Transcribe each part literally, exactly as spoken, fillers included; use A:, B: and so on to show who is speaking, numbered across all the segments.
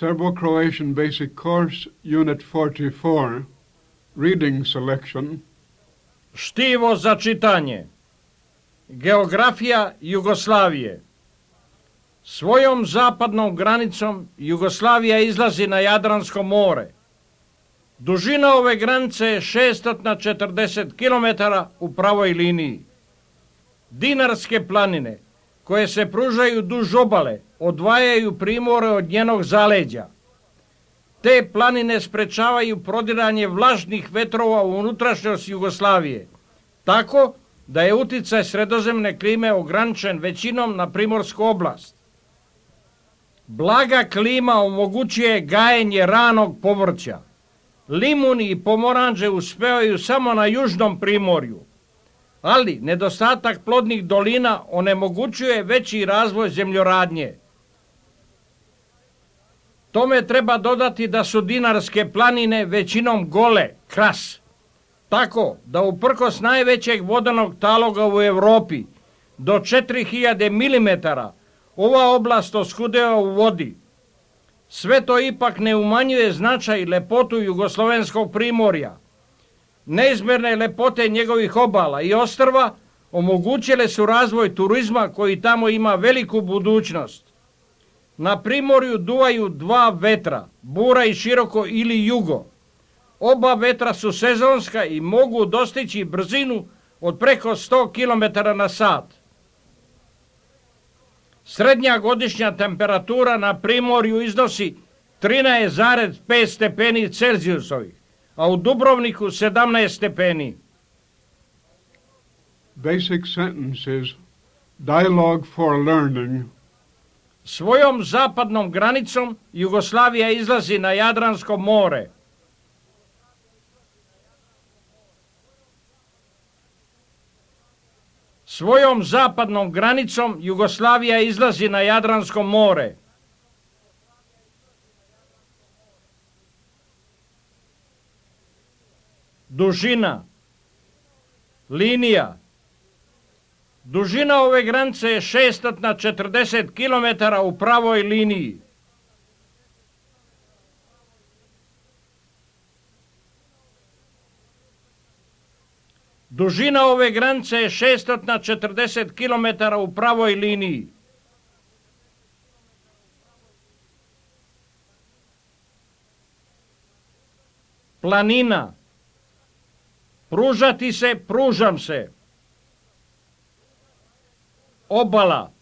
A: Serbo-Croatian Basic Course, Unit forty-four, Reading Selection.
B: Štivo za čitanje. Geografija Jugoslavije. Svojom zapadnom granicom Jugoslavija izlazi na Jadransko more. Dužina ove granice je šesto četrdeset kilometara u pravoj liniji. Dinarske planine, koje se pružaju duž obale, odvajaju primorje od njenog zaleđa. Te planine sprečavaju prodiranje vlažnih vetrova u unutrašnjost Jugoslavije, tako da je uticaj sredozemne klime ograničen većinom na primorsku oblast. Blaga klima omogućuje gajenje ranog povrća. Limuni i pomoranđe uspevaju samo na južnom primorju, ali nedostatak plodnih dolina onemogućuje veći razvoj zemljoradnje. Tome treba dodati da su dinarske planine većinom gole, kras, tako da uprkos najvećeg vodenog taloga u Europi do četiri hiljade milimetara ova oblast oskudeva u vodi. Sve to ipak ne umanjuje značaj i lepotu jugoslovenskog primorja. Neizmjerne lepote njegovih obala i ostrva omogućile su razvoj turizma koji tamo ima veliku budućnost. Na primorju duvaju dva vetra, bura i široko ili jugo. Oba vetra su sezonska i mogu dostići brzinu od preko sto kilometara na sat. Srednja godišnja temperatura na primorju iznosi trinaest zarez pet stepeni Celzijusovih, a u Dubrovniku sedamnaest stepeni.
A: Basic sentences, dialogue for learning.
B: Svojom zapadnom granicom Jugoslavija izlazi na Jadransko more. Svojom zapadnom granicom Jugoslavija izlazi na Jadransko more. Dužina. Linija. Dužina ove granice je šesto četrdeset kilometara u pravoj liniji. Dužina ove granice je šesto četrdeset kilometara u pravoj liniji. Planina. Pružati se, pružam se. Obala.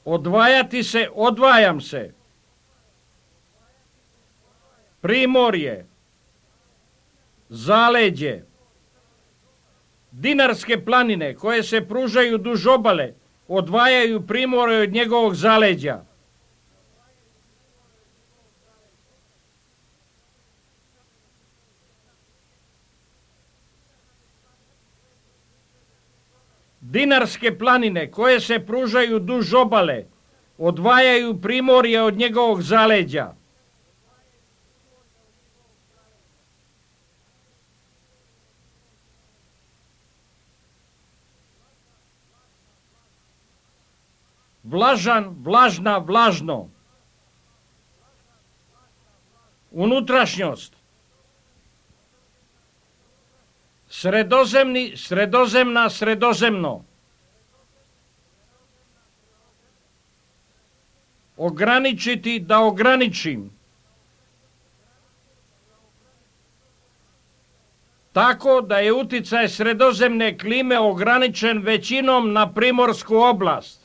B: Odvajati se, odvajam se. Primorje. Zaleđe. Dinarske planine koje se pružaju duž obale odvajaju primorje od njegovog zaleđa. Dinarske planine koje se pružaju duž obale odvajaju primorje od njegovog zaleđa. Vlažan, vlažna, vlažno. Unutrašnjost. Sredozemni, sredozemna, sredozemno. Ograničiti, da ograničim. Tako da je uticaj sredozemne klime ograničen većinom na primorsku oblast.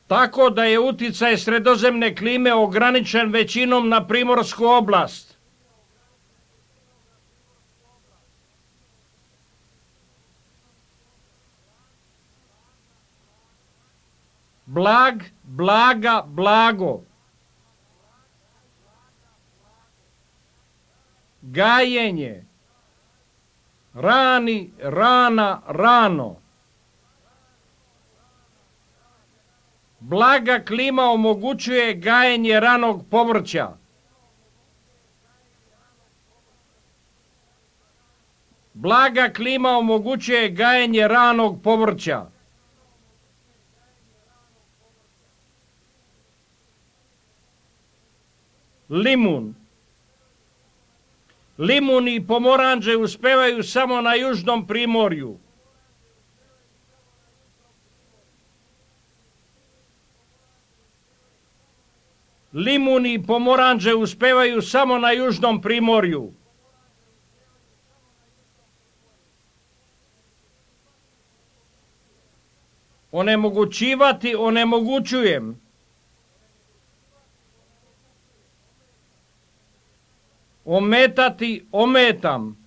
B: Tako da je uticaj sredozemne klime ograničen većinom na primorsku oblast. Blag, blaga, blago. Gajenje. Rani, rana, rano. Blaga klima omogućuje gajenje ranog povrća. Blaga klima omogućuje gajenje ranog povrća. Limun. Limun i pomoranđe uspevaju samo na južnom primorju. Limun i pomoranđe uspevaju samo na južnom primorju. Onemogućivati, onemogućujem. Ometati, ometam.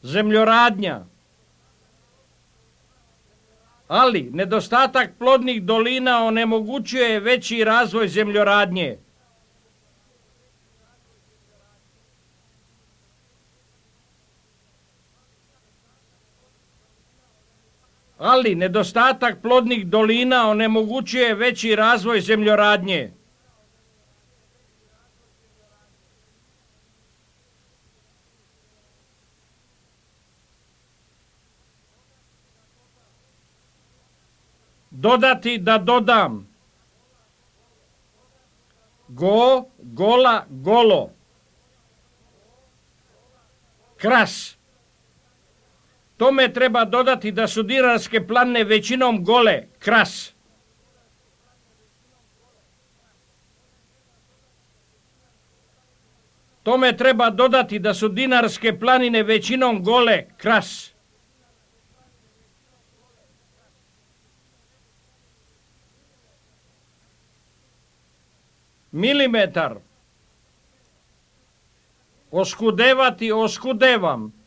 B: Zemljoradnja. Ali nedostatak plodnih dolina onemogućuje veći razvoj zemljoradnje. Ali nedostatak plodnih dolina onemogućuje veći razvoj zemljoradnje. Dodati, da dodam. Go, gola, golo. Kras. Tome treba dodati da su Dinarske planine većinom gole. Kras. Tome treba dodati da su Dinarske planine većinom gole. Kras. Milimetar. Oskudevati, oskudevam.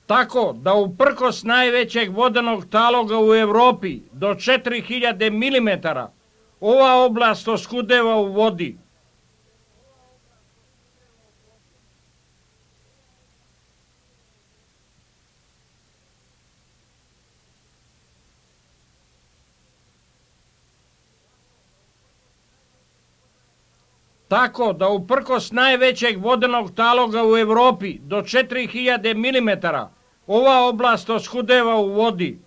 B: Tako da uprkos najvećeg vodenog taloga u Europi do četiri hiljade milimetara ova oblast oskudeva u vodi. Tako da uprkos najvećeg vodenog taloga u Europi do četiri hiljade milimetara ova oblast oskudeva u vodi.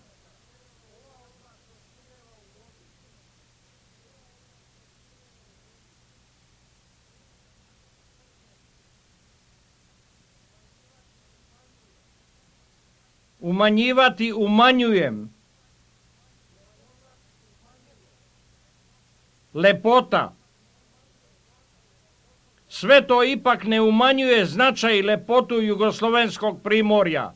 B: Umanjivati, umanjujem. Lepota. Sve to ipak ne umanjuje značaj i lepotu jugoslovenskog primorja.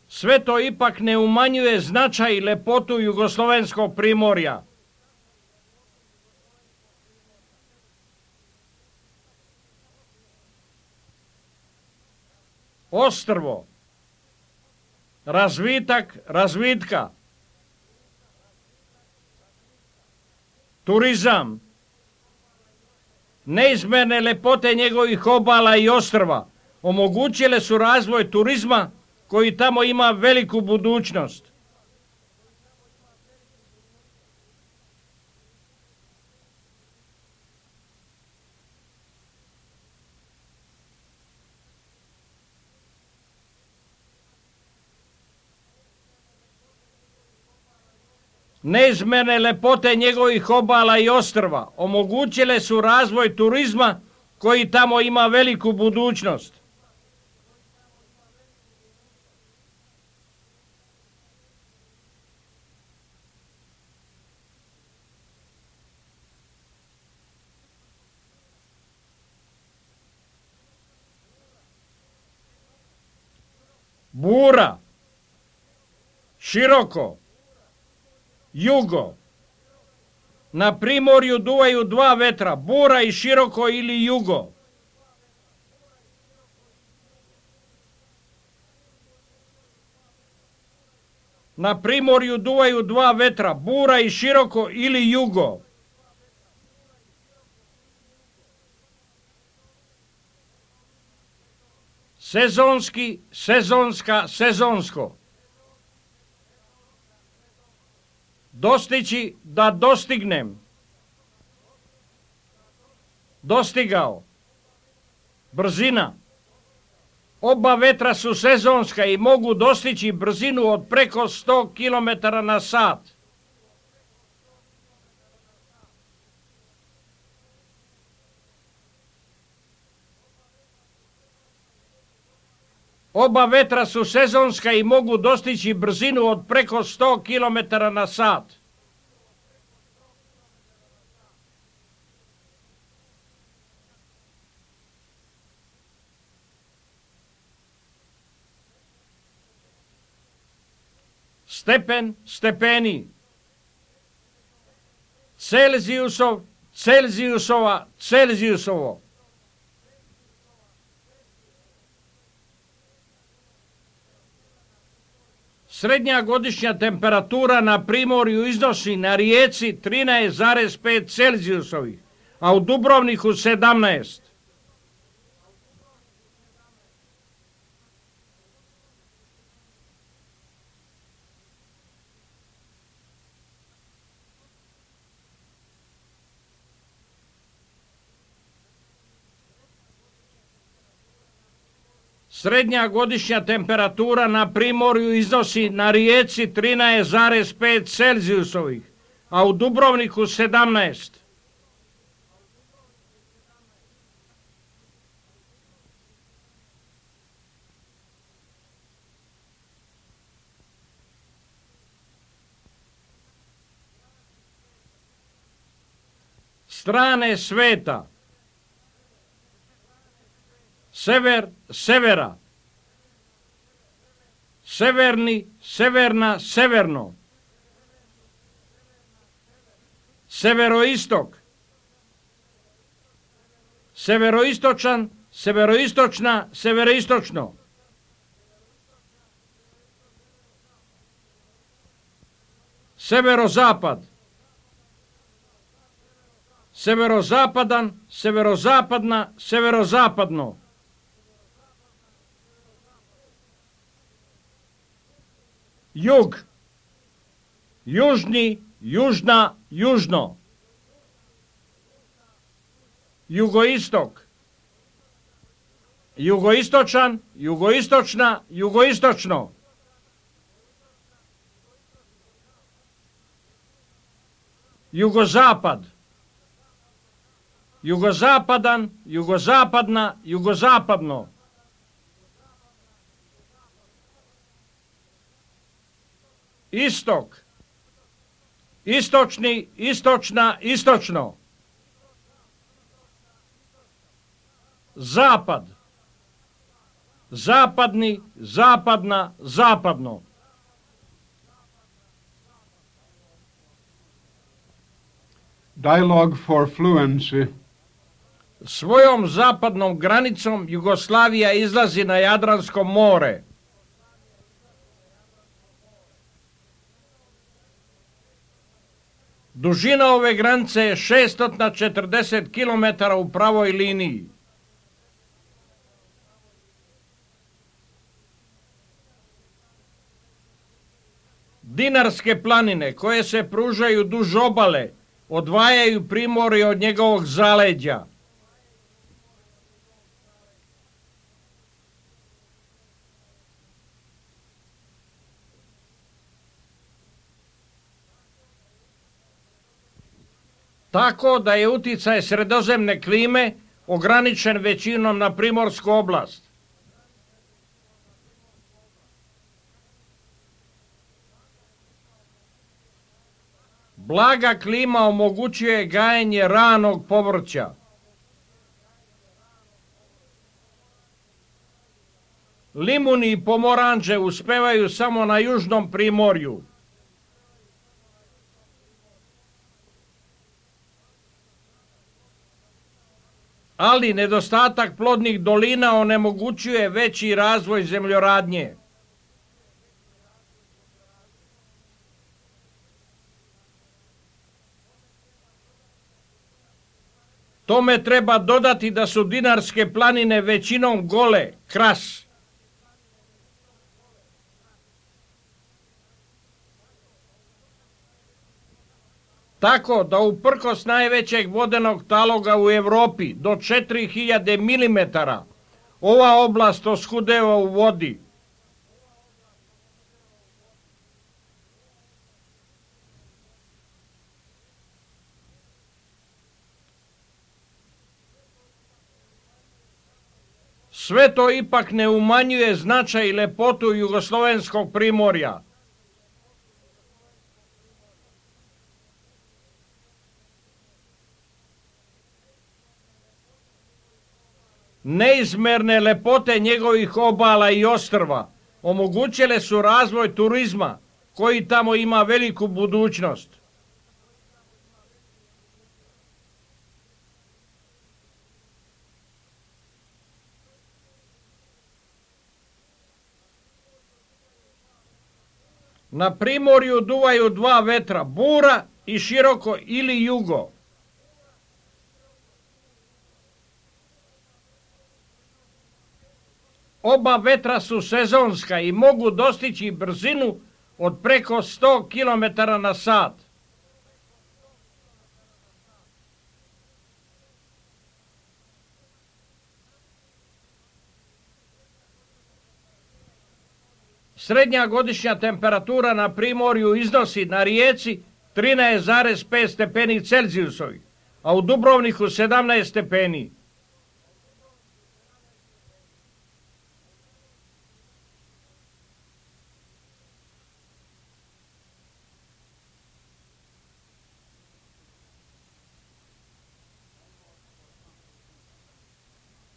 B: Sve to ipak ne umanjuje značaj i lepotu jugoslovenskog primorja. Ostrvo. Razvitak, razvitka. Turizam. Neizmjerne lepote njegovih obala i ostrva omogućile su razvoj turizma koji tamo ima veliku budućnost. Neizmjerne lepote njegovih obala i ostrva omogućile su razvoj turizma koji tamo ima veliku budućnost. Bura. Široko. Jugo. Na primorju duvaju dva vetra, bura i široko ili jugo. Na primorju duvaju dva vetra, bura i široko ili jugo. Sezonski, sezonska, sezonsko. Dostići, da dostignem. Dostigao. Brzina. Oba vetra su sezonska i mogu dostići brzinu od preko sto kilometara na sat. Oba vetra su sezonska i mogu dostići brzinu od preko sto kilometara na sat. Stepen, stepeni. Celzijusov, Celzijusova, Celzijusovo. Srednja godišnja temperatura na primorju iznosi na Rijeci trinaest zarez pet Celzijusovih, a u Dubrovniku sedamnaest. Srednja godišnja temperatura na primorju iznosi na Rijeci trinaest zarez pet Celzijusovih, a u Dubrovniku sedamnaest. Strane sveta. Sever, severa. Severni, severna, severno. Severoistok. Severoistočan, severoistočna, severoistočno. Severozapad. Severozapadan, severozapadna, severozapadno. Jug. Južni, južna, južno. Jugoistok. Jugoistočan, jugoistočna, jugoistočno. Jugozapad. Jugozapadan, jugozapadna, jugozapadno. Istok. Istočni, istočna, istočno. Zapad. Zapadni, zapadna, zapadno.
A: Dialogue for fluency.
B: Svojom zapadnom granicom Jugoslavija izlazi na Jadransko more. Dužina ove granice je šesto četrdeset kilometara u pravoj liniji. Dinarske planine koje se pružaju duž obale odvajaju primorje od njegovog zaleđa. Tako da je uticaj sredozemne klime ograničen većinom na primorsku oblast. Blaga klima omogućuje gajenje ranog povrća. Limuni i pomoranđe uspevaju samo na južnom primorju. Ali nedostatak plodnih dolina onemogućuje veći razvoj zemljoradnje. Tome treba dodati da su Dinarske planine većinom gole, kras. Tako da uprkos najvećeg vodenog taloga u Europi do četiri hiljade milimetara ova oblast oskudeva u vodi. Sve to ipak ne umanjuje značaj i lepotu jugoslovenskog primorja. Neizmerne lepote njegovih obala i ostrva omogućile su razvoj turizma koji tamo ima veliku budućnost. Na primorju duvaju dva vetra, bura i široko ili jugo. Oba vetra su sezonska i mogu dostići brzinu od preko sto kilometara na sat. Srednja godišnja temperatura na primorju iznosi na rijeci trinaest zarez pet stepeni Celzijusovih, a u Dubrovniku sedamnaest stepeni.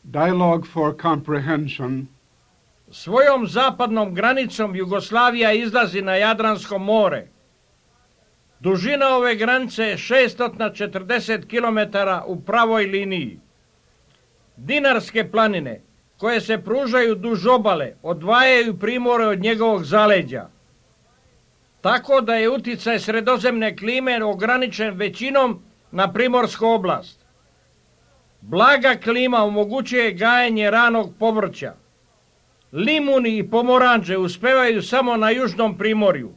A: Dialogue for comprehension.
B: Svojom zapadnom granicom Jugoslavija izlazi na Jadransko more. Dužina ove granice je šeststo četrdeset kilometara u pravoj liniji. Dinarske planine, koje se pružaju duž obale, odvajaju primorje od njegovog zaleđa. Tako da je uticaj sredozemne klime ograničen većinom na primorsku oblast. Blaga klima omogućuje gajenje ranog povrća. Limuni i pomoranđe uspevaju samo na južnom primorju,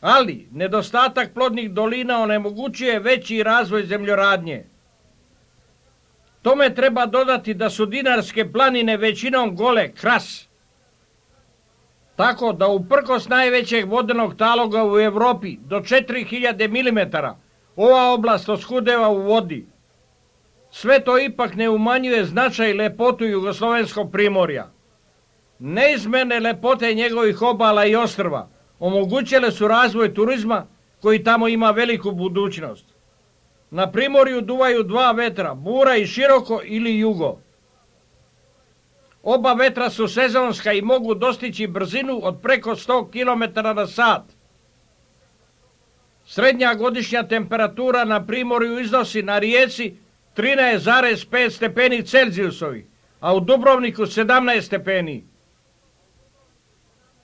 B: ali nedostatak plodnih dolina onemogućuje veći razvoj zemljoradnje. Tome treba dodati da su Dinarske planine većinom gole, kras. Tako da uprkos najvećeg vodenog taloga u Europi do četiri hiljade milimetara ova oblast oskudeva u vodi. Sve to ipak ne umanjuje značaj i lepotu jugoslovenskog primorja. Neizmjerne lepote njegovih obala i ostrva omogućile su razvoj turizma koji tamo ima veliku budućnost. Na primorju duvaju dva vetra, bura i široko ili jugo. Oba vetra su sezonska i mogu dostići brzinu od preko sto kilometara na sat. Srednja godišnja temperatura na primorju iznosi na rijeci trinaest zarez pet stepeni Celzijusovih, a u Dubrovniku sedamnaest stepeni.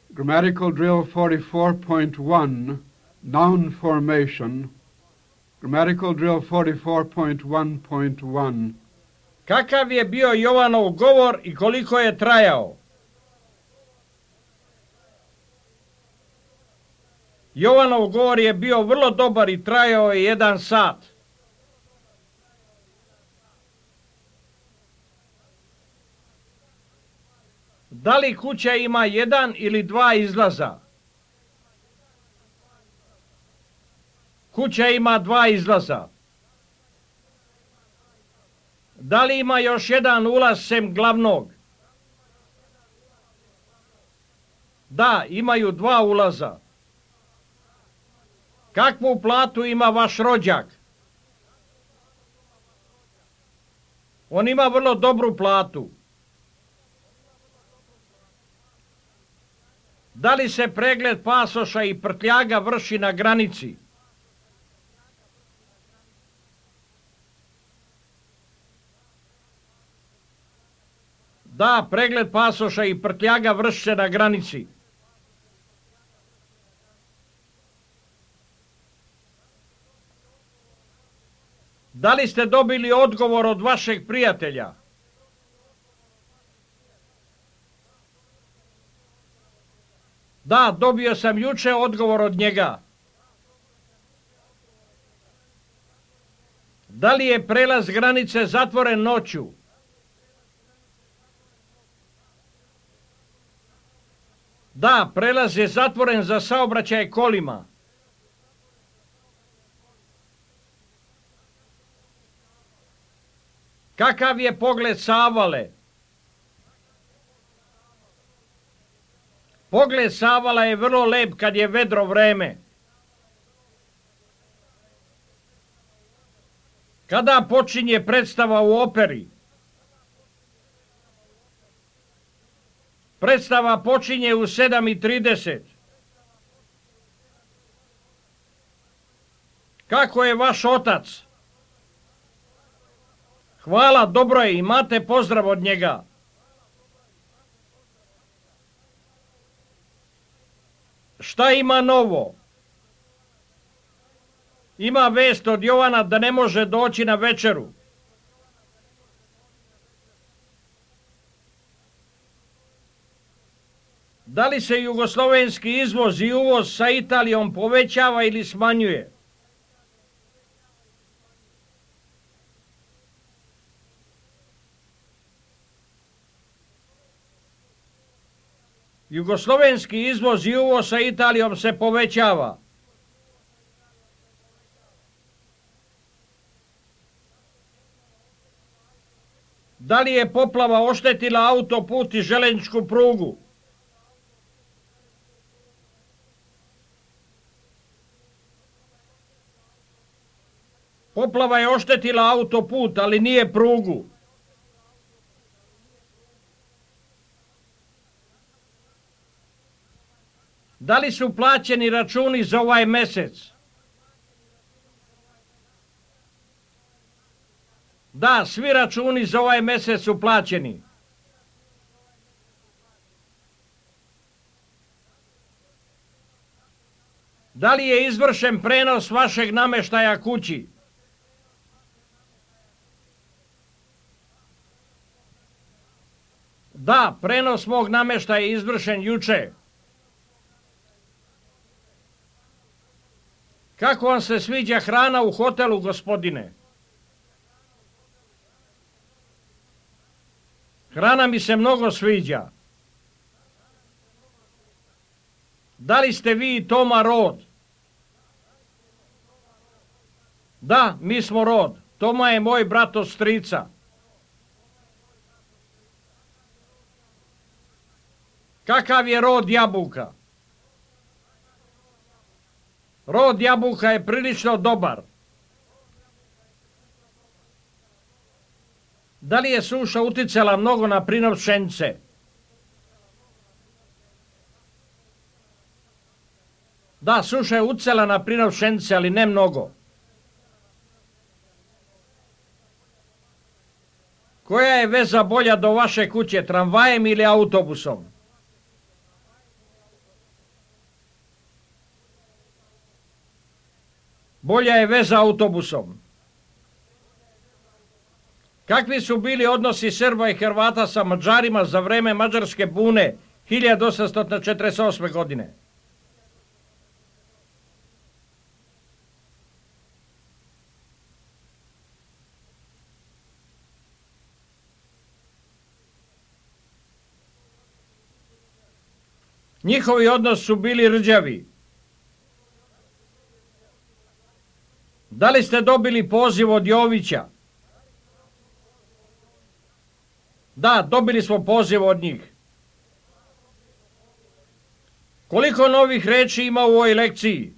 A: Grammatical drill forty-four point one, noun formation. Grammatical drill forty-four point one point one.
B: Kakav je bio Jovanov govor i koliko je trajao? Jovanov govor je bio vrlo dobar i trajao je jedan sat. Da li kuća ima jedan ili dva izlaza? Kuća ima dva izlaza. Da li ima još jedan ulaz sem glavnog? Da, imaju dva ulaza. Kakvu platu ima vaš rođak? On ima vrlo dobru platu. Da li se pregled pasoša i prtljaga vrši na granici? Da, pregled pasoša i prtljaga vrši se na granici. Da li ste dobili odgovor od vašeg prijatelja? Da, dobio sam juče odgovor od njega. Da li je prelaz granice zatvoren noću? Da, prelaz je zatvoren za saobraćaj kolima. Kakav je pogled sa Avale? Pogled sa Avala je vrlo lep kad je vedro vreme. Kada počinje predstava u operi? Predstava počinje u sedam i trideset. Kako je vaš otac? Hvala, dobro je, imate pozdrav od njega. Šta ima novo? Ima vest od Jovana da ne može doći na večeru. Da li se jugoslovenski izvoz i uvoz sa Italijom povećava ili smanjuje? Jugoslovenski izvoz i uvoz sa Italijom se povećava. Da li je poplava oštetila autoput i željezničku prugu? Poplava je oštetila autoput, ali nije prugu. Da li su plaćeni računi za ovaj mjesec? Da, svi računi za ovaj mjesec su plaćeni. Da li je izvršen prenos vašeg namještaja kući? Da, prenos mog namještaja je izvršen juče. Kako vam se sviđa hrana u hotelu, gospodine? Hrana mi se mnogo sviđa. Da li ste vi i Toma rod? Da, mi smo rod. Toma je moj brat od strica. Kakav je rod jabuka? Rod jabuka je prilično dobar. Da li je suša uticala mnogo na prinov pšenice? Da, suša je uticala na prinov pšenice, ali ne mnogo. Koja je veza bolja do vaše kuće, tramvajem ili autobusom? Bolja je veza autobusom. Kakvi su bili odnosi Srba i Hrvata sa Mađarima za vreme Mađarske bune hiljadu osamsto četrdeset osme. godine? Njihovi odnosi su bili rđavi. Da li ste dobili poziv od Jovića? Da, dobili smo poziv od njih. Koliko novih reči ima u ovoj lekciji?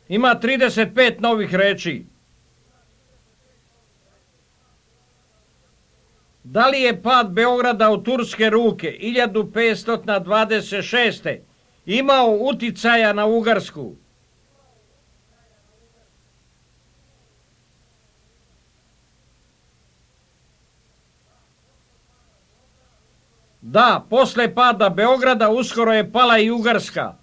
B: Ima trideset pet novih reči. Da li je pad Beograda u turske ruke hiljadu petsto dvadeset šeste. imao uticaja na Ugarsku? Da, posle pada Beograda uskoro je pala i Ugarska.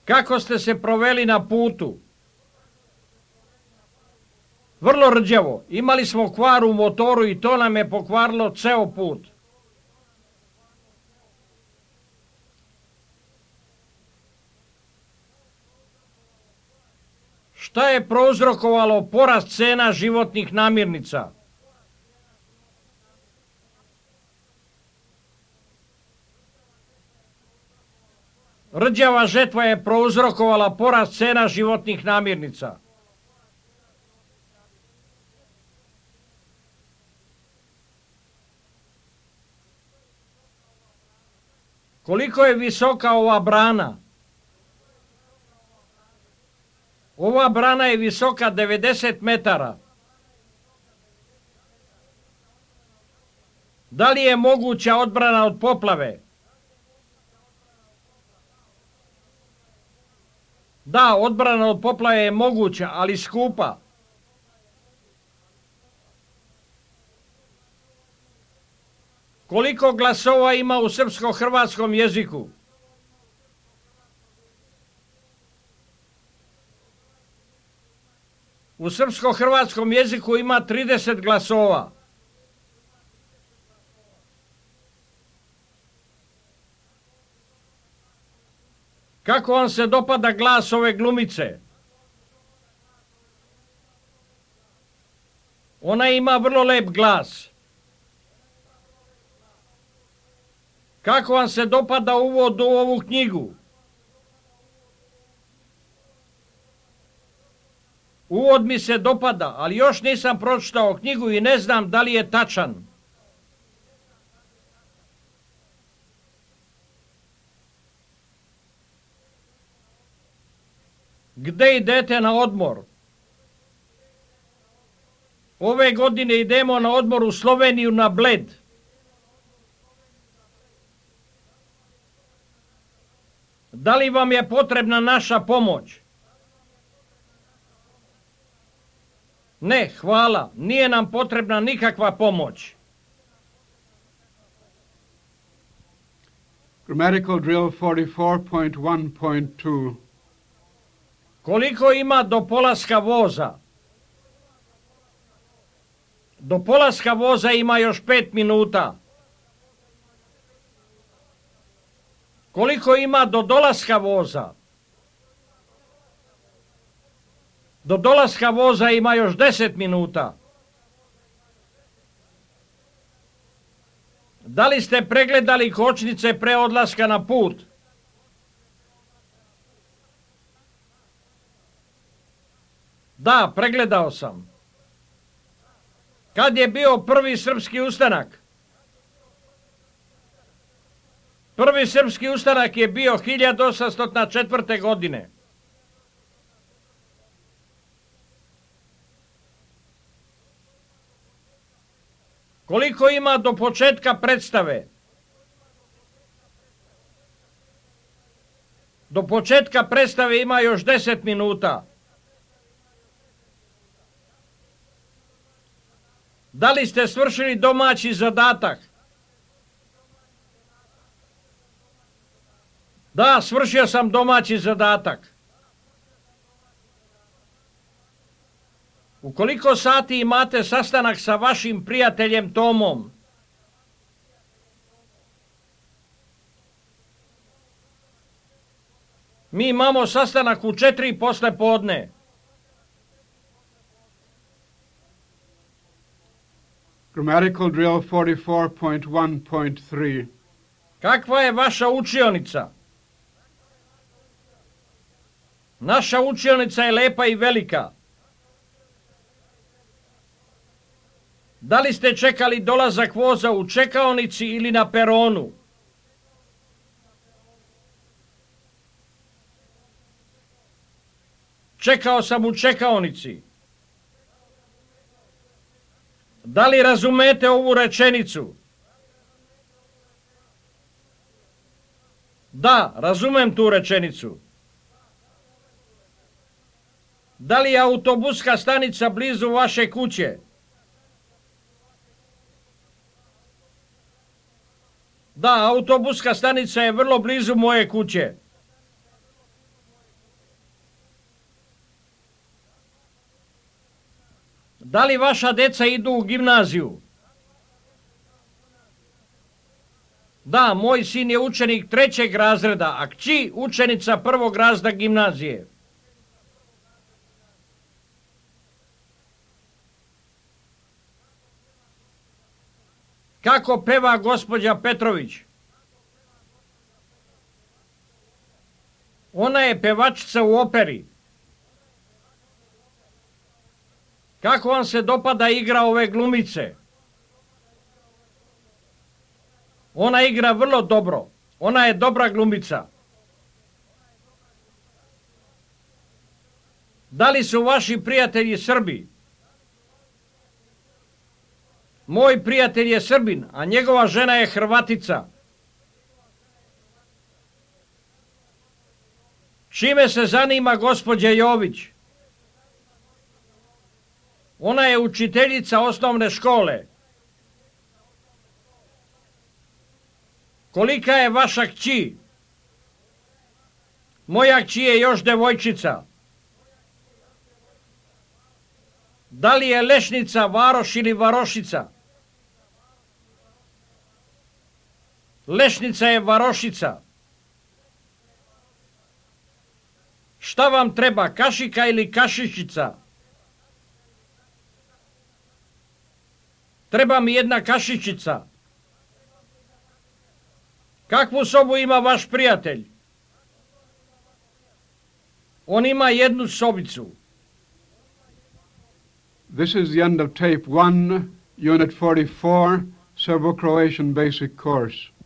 B: Kako ste se proveli na putu? Vrlo rđavo. Imali smo kvar u motoru i to nam je pokvarilo ceo put. Šta je prouzrokovalo porast cena životnih namirnica? Rđava žetva je prouzrokovala porast cena životnih namirnica. Koliko je visoka ova brana? Ova brana je visoka devedeset metara. Da li je moguća odbrana od poplave? Da, odbrana od poplave je moguća, ali skupa. Koliko glasova ima u srpsko-hrvatskom jeziku? U srpsko-hrvatskom jeziku ima trideset glasova. Kako vam se dopada glas ove glumice? Ona ima vrlo lep glas. Kako vam se dopada uvod u ovu knjigu? Uvod mi se dopada, ali još nisam pročitao knjigu i ne znam da li je tačan. Gde idete na odmor? Ove godine idemo na odmor u Sloveniju na Bled. Da li vam je potrebna naša pomoć? Ne, hvala, nije nam potrebna nikakva pomoć.
A: Grammatical drill forty-four point one point two.
B: Koliko ima do polaska voza? Do polaska voza ima još pet minuta. Koliko ima do dolaska voza? Do dolaska voza ima još deset minuta. Da li ste pregledali kočnice pre odlaska na put? Da, pregledao sam. Kad je bio prvi srpski ustanak? Prvi srpski ustanak je bio hiljadu osamsto četvrte. godine. Koliko ima do početka predstave? Do početka predstave ima još deset minuta. Da li ste svršili domaći zadatak? Da, svršio sam domaći zadatak. U koliko sati imate sastanak sa vašim prijateljem Tomom? Mi imamo sastanak u četiri posle podne.
A: Grammatical drill forty-four point one point three.
B: Kakva je vaša učionica? Naša učionica je lepa i velika. Da li ste čekali dolazak voza u čekaonici ili na peronu? Čekao sam u čekaonici. Da li razumete ovu rečenicu? Da, razumem tu rečenicu. Da li je autobuska stanica blizu vaše kuće? Da, autobuska stanica je vrlo blizu moje kuće. Da li vaša deca idu u gimnaziju? Da, moj sin je učenik trećeg razreda, a kći učenica prvog razreda gimnazije. Kako peva gospođa Petrović? Ona je pevačica u operi. Kako vam se dopada igra ove glumice? Ona igra vrlo dobro. Ona je dobra glumica. Da li su vaši prijatelji Srbi? Moj prijatelj je Srbin, a njegova žena je Hrvatica. Čime se zanima gospođa Jović? Ona je učiteljica osnovne škole. Kolika je vaša kći? Moja kći je još devojčica. Da li je Lešnica varoš ili varošica? Lešnica je varošica. Šta vam treba, kašika ili kašičica? Treba mi jedna kašičica. Kakvu sobu ima vaš prijatelj? On ima jednu sobicu.
A: This is the end of tape one, unit forty-four, Serbo-Croatian basic course.